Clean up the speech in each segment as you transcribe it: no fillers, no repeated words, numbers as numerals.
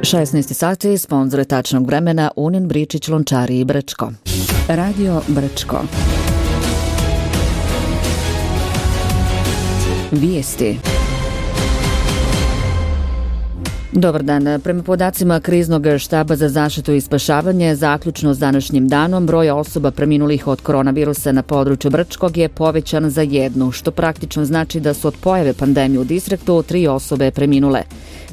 16 sati, sponzore tačnog vremena Unin, Bričić, Lončari i Brčko. Radio Brčko. Vijesti. Dobar dan. Prema podacima Kriznog štaba za zaštitu i spašavanje, zaključno s današnjim danom, broj osoba preminulih od koronavirusa na području Brčkog je povećan za 1, što praktično znači da su od pojave pandemije u distriktu 3 osobe preminule.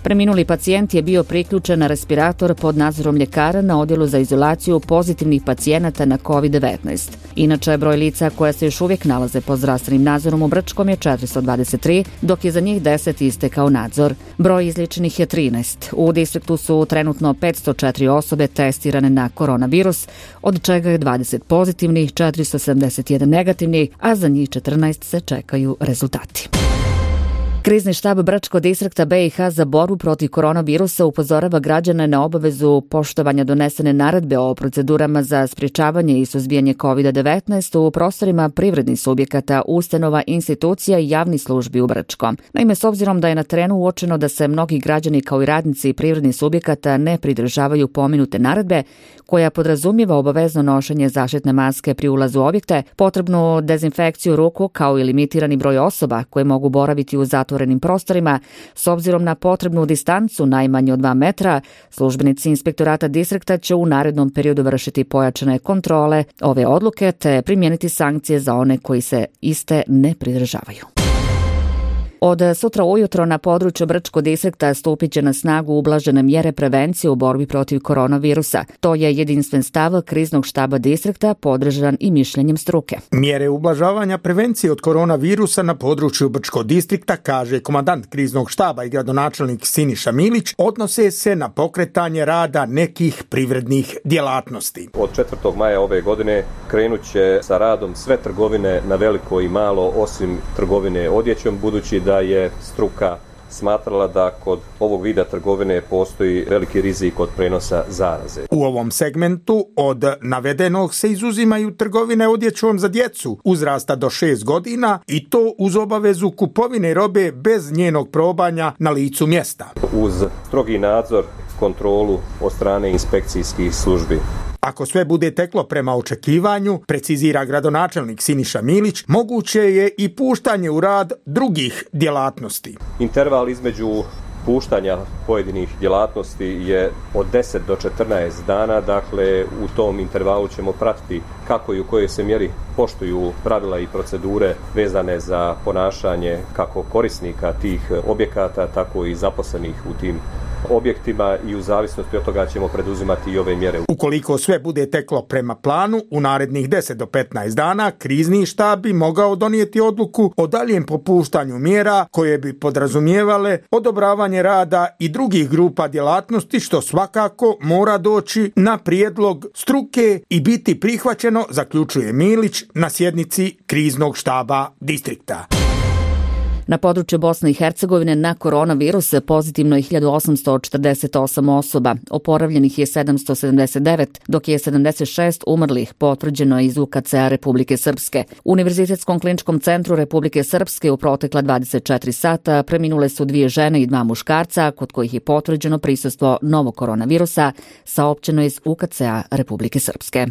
Preminuli pacijent je bio priključen na respirator pod nadzorom ljekara na odjelu za izolaciju pozitivnih pacijenata na COVID-19. Inače, broj lica koja se još uvijek nalaze pod zdravstvenim nadzorom u Brčkom je 423, dok je za njih 10 istekao nadzor. Broj izliječenih je 13. U distriktu su trenutno 504 osobe testirane na koronavirus, od čega je 20 pozitivnih, 471 negativnih, a za njih 14 se čekaju rezultati. Krizni štab Brčko distrikta BiH za borbu protiv koronavirusa upozorava građane na obavezu poštovanja donesene naredbe o procedurama za sprječavanje i suzbijanje COVID-19 u prostorima privrednih subjekata, ustanova, institucija i javnih službi u Brčkom. Naime, s obzirom da je na terenu uočeno da se mnogi građani kao i radnici privrednih subjekata ne pridržavaju pomenute naredbe, koja podrazumijeva obavezno nošenje zaštitne maske pri ulazu u objekte, potrebnu dezinfekciju ruku kao i limitirani broj osoba koje mogu boraviti u zatvorenim prostorima, s obzirom na potrebnu distancu najmanje od 2 metra, službenici inspektorata distrikta će u narednom periodu vršiti pojačane kontrole ove odluke te primijeniti sankcije za one koji se iste ne pridržavaju. Od sutra ujutro na području Brčkog distrikta stupit će na snagu ublažene mjere prevencije u borbi protiv koronavirusa. To je jedinstven stav Kriznog štaba distrikta, podržan i mišljenjem struke. Mjere ublažavanja prevencije od koronavirusa na području Brčkog distrikta, kaže komandant Kriznog štaba i gradonačelnik Siniša Milić, odnose se na pokretanje rada nekih privrednih djelatnosti. Od 4. maja ove godine krenut će sa radom sve trgovine na veliko i malo, osim trgovine odjećom, budući da je struka smatrala da kod ovog vida trgovine postoji veliki rizik od prenosa zaraze. U ovom segmentu od navedenog se izuzimaju trgovine odjećom za djecu uzrasta do 6 godina i to uz obavezu kupovine robe bez njenog probanja na licu mjesta. Uz strogi nadzor, kontrolu od strane inspekcijskih službi. Ako sve bude teklo prema očekivanju, precizira gradonačelnik Siniša Milić, moguće je i puštanje u rad drugih djelatnosti. Interval između puštanja pojedinih djelatnosti je od 10 do 14 dana, dakle u tom intervalu ćemo pratiti kako i u kojoj se mjeri poštuju pravila i procedure vezane za ponašanje kako korisnika tih objekata, tako i zaposlenih u tim objektima i u zavisnosti od toga ćemo preduzimati i ove mjere. Ukoliko sve bude teklo prema planu, u narednih 10 do 15 dana krizni štab bi mogao donijeti odluku o daljem popuštanju mjera koje bi podrazumijevale odobravanje rada i drugih grupa djelatnosti, što svakako mora doći na prijedlog struke i biti prihvaćeno, zaključuje Milić na sjednici Kriznog štaba distrikta. Na području Bosne i Hercegovine na koronavirus pozitivno je 1848 osoba, oporavljenih je 779, dok je 76 umrlih potvrđeno iz UKC-a Republike Srpske. U Univerzitetskom kliničkom centru Republike Srpske u protekla 24 sata preminule su 2 žene i 2 muškarca, kod kojih je potvrđeno prisustvo novog koronavirusa, saopćeno iz UKC-a Republike Srpske.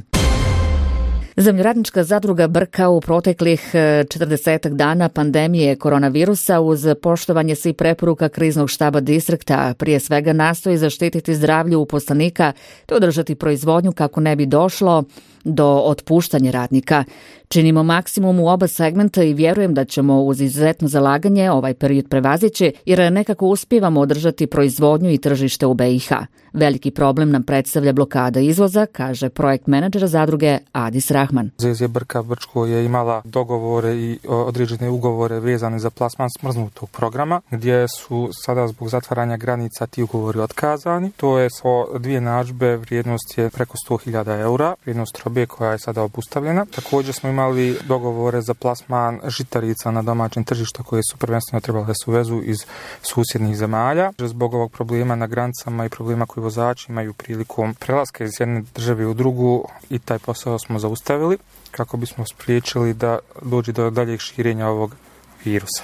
Zemljoradnička zadruga Brka u proteklih 40 dana pandemije koronavirusa uz poštovanje svih preporuka Kriznog štaba distrikta prije svega nastoji zaštititi zdravlje uposlenika te održati proizvodnju kako ne bi došlo do otpuštanja radnika. Činimo maksimum u oba segmenta i vjerujem da ćemo uz izuzetno zalaganje ovaj period prevazići jer nekako uspijevamo održati proizvodnju i tržište u BiH. Veliki problem nam predstavlja blokada izvoza, kaže projekt menadžer zadruge Adis Rahman. ZZ Brka Brčko je imala dogovore i određene ugovore vezane za plasman smrznutog programa, gdje su sada zbog zatvaranja granica ti ugovori otkazani. To je so 2 narudžbe, vrijednost je preko 100.000 eura, vrijednost robe koja je sada obustavljena. Također smo imali dogovore za plasman žitarica na domaćem tržištu koje su prvenstveno trebale da se uvezu iz susjednih zemalja. Zbog ovog problema na granicama i problema koji vozači imaju prilikom prelaska iz jedne države u drugu i taj posao smo zaustavili kako bismo spriječili da dođe do daljeg širenja ovog virusa.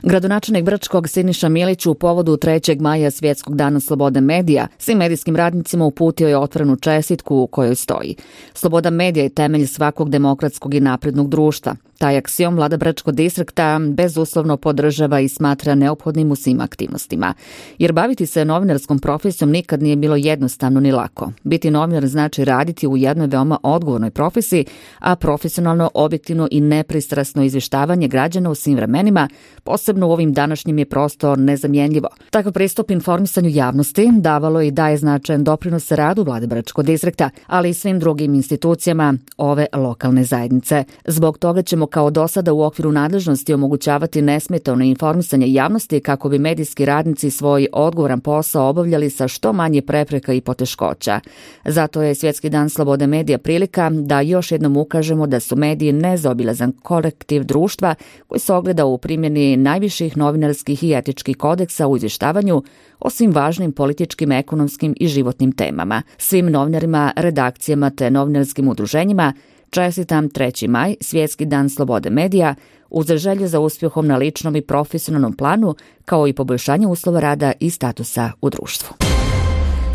Gradonačelnik Brčkog Siniša Milić u povodu 3. maja Svjetskog dana slobode medija svim medijskim radnicima uputio je otvorenu čestitku u kojoj stoji: sloboda medija je temelj svakog demokratskog i naprednog društva. Taj aksiom vlada Brčkog distrikta bezuslovno podržava i smatra neophodnim u svim aktivnostima. Jer baviti se novinarskom profesijom nikad nije bilo jednostavno ni lako. Biti novinar znači raditi u jednoj veoma odgovornoj profesiji, a profesionalno, objektivno i nepristrasno izvještavanje građana u svim vremenima, posebno u ovim današnjim, je prosto nezamjenljivo. Takav pristup informisanju javnosti davalo i daje značajan doprinos radu vlade Brčkog distrikta, ali i svim drugim institucijama ove lokalne zajednice. Zbog toga ćemo kao do sada u okviru nadležnosti omogućavati nesmetano informisanje javnosti kako bi medijski radnici svoj odgovoran posao obavljali sa što manje prepreka i poteškoća. Zato je Svjetski dan slobode medija prilika da još jednom ukažemo da su mediji nezaobilazan kolektiv društva koji se ogleda u primjeni najviših novinarskih i etičkih kodeksa u izvještavanju o svim važnim političkim, ekonomskim i životnim temama. Svim novinarima, redakcijama te novinarskim udruženjima čestitam 3. maj, Svjetski dan slobode medija, uz želju za uspjehom na ličnom i profesionalnom planu, kao i poboljšanje uslova rada i statusa u društvu.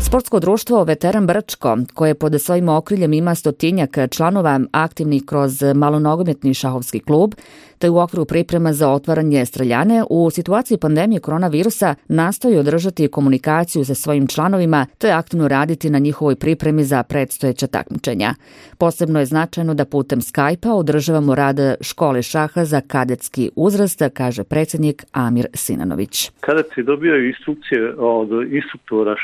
Sportsko društvo Veteran Brčko, koje pod svojim okriljem ima 100-tinjak članova aktivnih kroz malonogometni šahovski klub, te u okviru priprema za otvaranje streljane, u situaciji pandemije koronavirusa nastoji održati komunikaciju sa svojim članovima, te aktivno raditi na njihovoj pripremi za predstojeća takmičenja. Posebno je značajno da putem Skype-a održavamo rad škole šaha za kadetski uzrast, kaže predsjednik Amir Sinanović. Kadeti dobijaju instrukcije od instruktora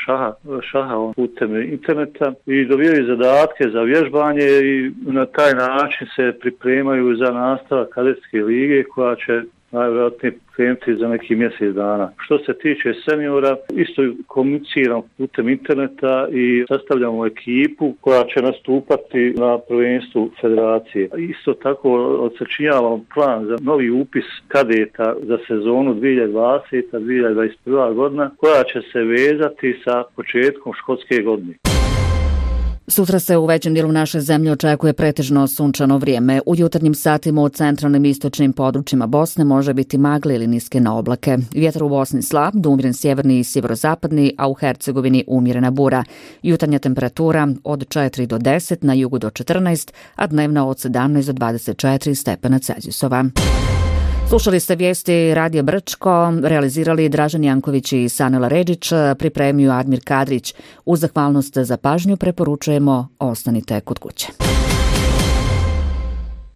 šaha putem interneta i dobijaju zadatke za vježbanje i na taj način se pripremaju za nastavak kadetske lige koja će najvjerojatnije krenuti za neki mjesec dana. Što se tiče seniora, isto komuniciramo putem interneta i sastavljamo ekipu koja će nastupati na prvenstvu federacije. Isto tako odsačinjavamo plan za novi upis kadeta za sezonu 2020-2021 godina koja će se vezati sa početkom školske godine. Sutra se u većem dijelu naše zemlje očekuje pretežno sunčano vrijeme. U jutarnjim satima u centralnim i istočnim područjima Bosne može biti magle ili niske na oblake. Vjetar u Bosni slab, umjeren sjeverni i sjeverozapadni, a u Hercegovini umjerena bura. Jutarnja temperatura od 4 do 10, na jugu do 14, a dnevna od 17 do 24 stepena Celzijusova. Slušali ste vijesti Radija Brčko, realizirali Dražen Janković i Sanela Redžić, pripremio Admir Kadrić. Uz zahvalnost za pažnju preporučujemo ostanite kod kuće.